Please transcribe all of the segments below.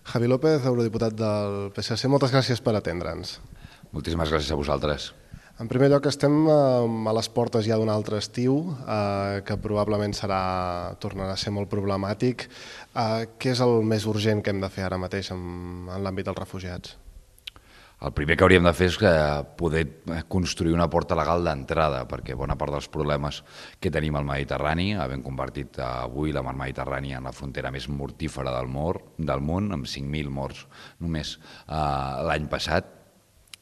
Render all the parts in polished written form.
Javi López, eurodiputat del PSC, moltes gràcies per atendre'ns. Moltíssimes gràcies a vosaltres. En primer lloc, estem a les portes ja d'un altre estiu, que probablement tornarà a ser molt problemàtic. Què és el més urgent que hem de fer ara mateix en l'àmbit dels refugiats? El primer que hauríem de fer és poder construir una porta legal d'entrada, perquè bona part dels problemes que tenim al Mediterrani, havent convertit avui la mar Mediterrània en la frontera més mortífera del món, amb 5.000 morts només l'any passat,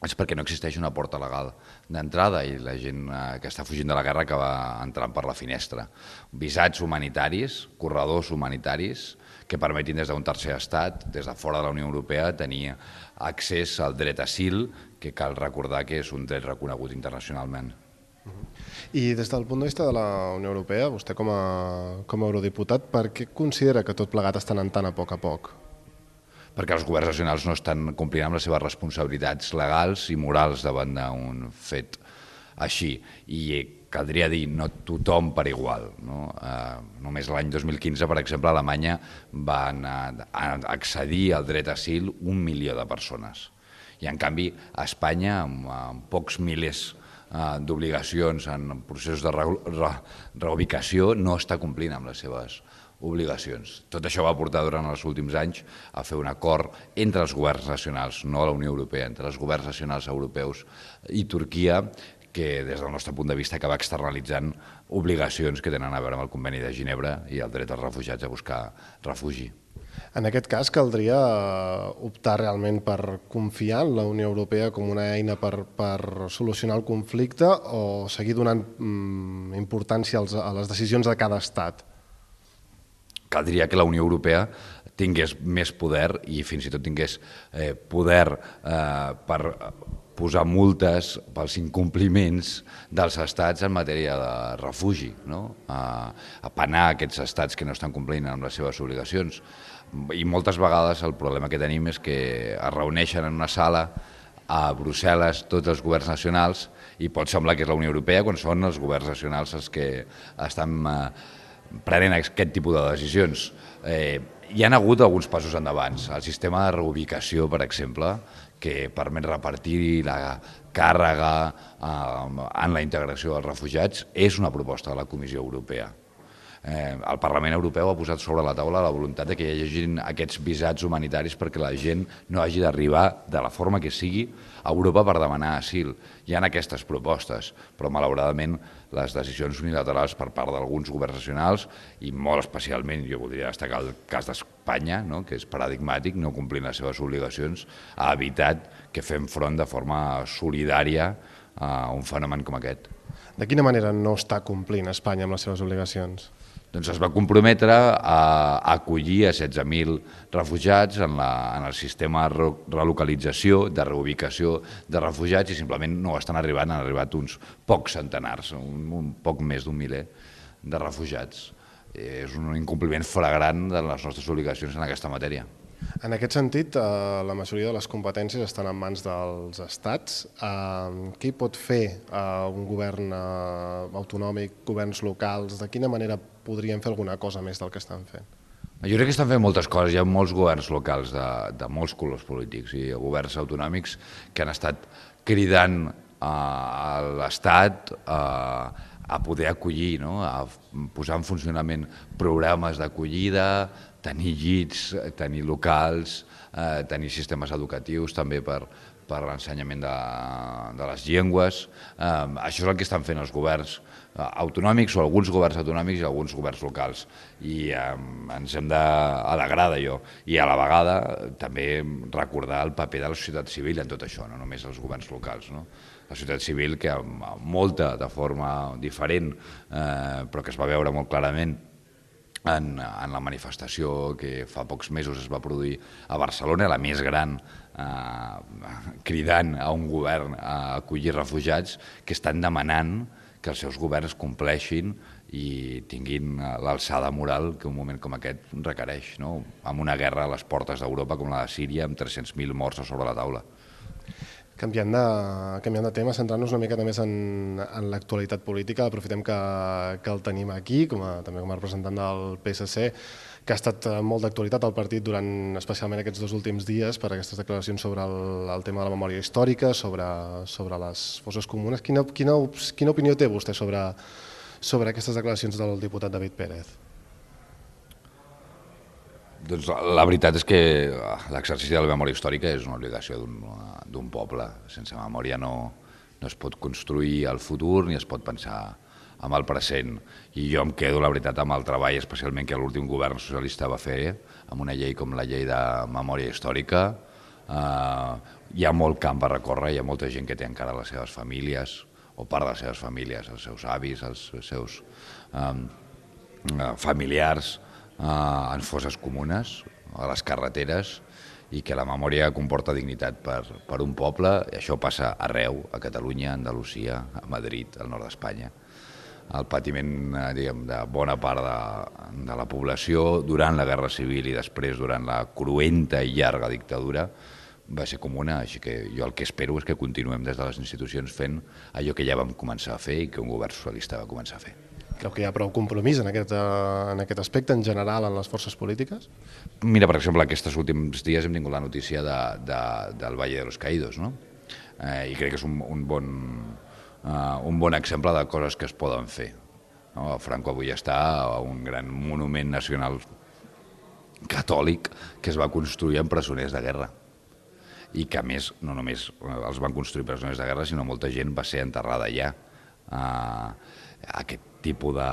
és perquè no existeix una porta legal d'entrada i la gent que està fugint de la guerra acaba entrant per la finestra. Visats humanitaris, corredors humanitaris, que permetin des d'un tercer estat, des de fora de la Unió Europea, tenir accés al dret a asil, que cal recordar que és un dret reconegut internacionalment. I des del punt de vista de la Unió Europea, vostè com a eurodiputat, per què considera que tot plegat està anant tan a poc? Perquè els governs nacionals no estan complint amb les seves responsabilitats legals i morals davant d'un fet així. I caldria dir, no tothom per igual. Només l'any 2015, per exemple, a Alemanya van accedir al dret a asil 1 milió de persones. I, en canvi, a Espanya, amb pocs milers d'obligacions en processos de reubicació, no està complint amb les seves obligacions. Tot això va portar durant els últims anys a fer un acord entre els governs nacionals, no a la Unió Europea, entre els governs nacionals europeus i Turquia, que des del nostre punt de vista acaba externalitzant obligacions que tenen a veure amb el Conveni de Ginebra i el dret dels refugiats a buscar refugi. En aquest cas, caldria optar realment per confiar en la Unió Europea com una eina per solucionar el conflicte o seguir donant importància a les decisions de cada estat? Caldria que la Unió Europea tingués més poder i fins i tot tingués poder per posar multes pels incompliments dels estats en matèria de refugi, a penar aquests estats que no estan complint amb les seves obligacions. I moltes vegades el problema que tenim és que es reuneixen en una sala a Brussel·les tots els governs nacionals i pot semblar que és la Unió Europea quan són els governs nacionals els que estan prenent aquest tipus de decisions. Hi ha hagut alguns passos endavant. El sistema de reubicació, per exemple, que permet repartir la càrrega en la integració dels refugiats, és una proposta de la Comissió Europea. El Parlament Europeu ha posat sobre la taula la voluntat que hi hagi aquests visats humanitaris perquè la gent no hagi d'arribar de la forma que sigui a Europa per demanar asil. Hi ha aquestes propostes, però malauradament les decisions unilaterals per part d'alguns governs nacionals i molt especialment, jo voldria destacar el cas d'Espanya, que és paradigmàtic, no complint les seves obligacions, ha evitat que fem front de forma solidària a un fenomen com aquest. De quina manera no està complint Espanya amb les seves obligacions? Doncs es va comprometre a acollir a 16.000 refugiats en el sistema de relocalització, de reubicació de refugiats i simplement no estan arribant, han arribat uns pocs centenars, un poc més d'un miler de refugiats. És un incompliment flagrant de les nostres obligacions en aquesta matèria. En aquest sentit, la majoria de les competències estan en mans dels estats. Què hi pot fer un govern autonòmic, governs locals? De quina manera podrien fer alguna cosa més del que estan fent? Jo crec que estan fent moltes coses. Hi ha molts governs locals de molts colors polítics i governs autonòmics que han estat cridant a l'Estat a poder acollir, a posar en funcionament programes d'acollida, tenir llits, tenir locals, tenir sistemes educatius també per l'ensenyament de les llengües. Això és el que estan fent els governs autonòmics o alguns governs autonòmics i alguns governs locals. I ens hem d'alegrar d'allò. I a la vegada també recordar el paper de la societat civil en tot això, no només els governs locals. La societat civil que molta de forma diferent, però que es va veure molt clarament en la manifestació que fa pocs mesos es va produir a Barcelona, la més gran, cridant a un govern a acollir refugiats que estan demanant que els seus governs compleixin i tinguin l'alçada moral que un moment com aquest requereix, amb una guerra a les portes d'Europa com la de Síria, amb 300.000 morts a sobre la taula. Canviant de tema, centrant-nos una mica més en l'actualitat política, aprofitem que el tenim aquí, també com a representant del PSC. que ha estat molt d'actualitat al partit durant especialment aquests 2 últims dies per aquestes declaracions sobre el tema de la memòria històrica, sobre les fosses comunes. Quina opinió té vostè sobre aquestes declaracions del diputat David Pérez? Doncs la veritat és que l'exercici de la memòria històrica és una obligació d'un poble. Sense memòria no es pot construir el futur ni es pot pensar en el present. I jo em quedo, la veritat, amb el treball, especialment que l'últim govern socialista va fer, amb una llei com la llei de memòria històrica. Hi ha molt camp a recórrer, hi ha molta gent que té encara les seves famílies, o part de les seves famílies, els seus avis, els seus familiars, en fosses comunes, a les carreteres, i que la memòria comporta dignitat per un poble, i això passa arreu, a Catalunya, a Andalusia, a Madrid, al nord d'Espanya. El patiment de bona part de la població durant la Guerra Civil i després durant la cruenta i llarga dictadura va ser comuna, així que jo el que espero és que continuem des de les institucions fent allò que ja vam començar a fer i que un govern socialista va començar a fer. Creu que hi ha prou compromís en aquest aspecte en general en les forces polítiques? Mira, per exemple, aquests últims dies hem tingut la notícia del Valle de los Caídos, no? I crec que és un bon exemple de coses que es poden fer. Franco avui està a un gran monument nacional catòlic que es va construir amb presoners de guerra i que a més no només els van construir presoners de guerra sinó molta gent va ser enterrada allà. Aquest tipus de...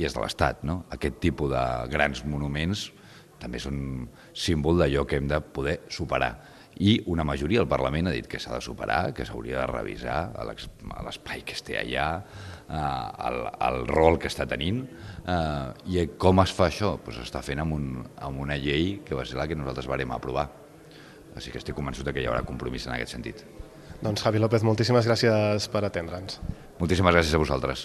i és de l'Estat, no? Aquest tipus de grans monuments també són símbol d'allò que hem de poder superar. I una majoria del Parlament ha dit que s'ha de superar, que s'hauria de revisar l'espai que es té allà, el rol que està tenint, i com es fa això? S'està fent amb una llei que va ser la que nosaltres vàrem aprovar. Així que estic convençut que hi haurà compromís en aquest sentit. Doncs Javi López, moltíssimes gràcies per atendre'ns. Moltíssimes gràcies a vosaltres.